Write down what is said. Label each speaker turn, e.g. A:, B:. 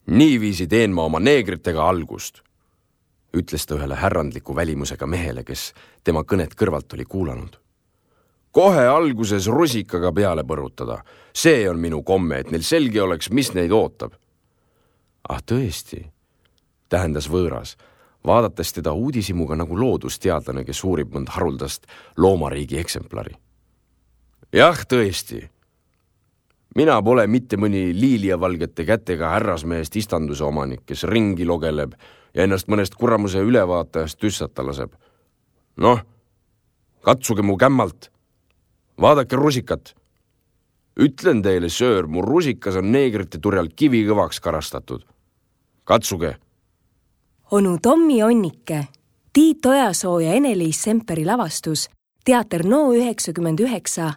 A: Niiviisi teen ma oma neegritega algust, ütles ta ühele härrandliku välimusega mehele, kes tema kõnet kõrvalt oli kuulanud. Kohe alguses rusikaga peale põrutada. See on minu komme, et neil selge oleks, mis neid ootab. Ah tõesti, tähendas võõras, vaadates teda uudishimuga nagu loodusteadlane, kes uurib mõnd haruldast loomariigi eksemplari. Jah, tõesti. Mina pole mitte mõni liiliavalgete kätega härrasmehest istanduse omanik, kes ringi logeleb ja ennast mõnest kuramuse ülevaatajast tüssata laseb. Noh, katsuge mu kämmalt. Vaadake rusikat. Ütlen teile, söör, mu rusikas on neegrite turjal kivi kõvaks karastatud. Katsuge.
B: Onu Tommi Onnike, Tiit Ojasoo ja Ene-Liis Semperi lavastus, Teater No 99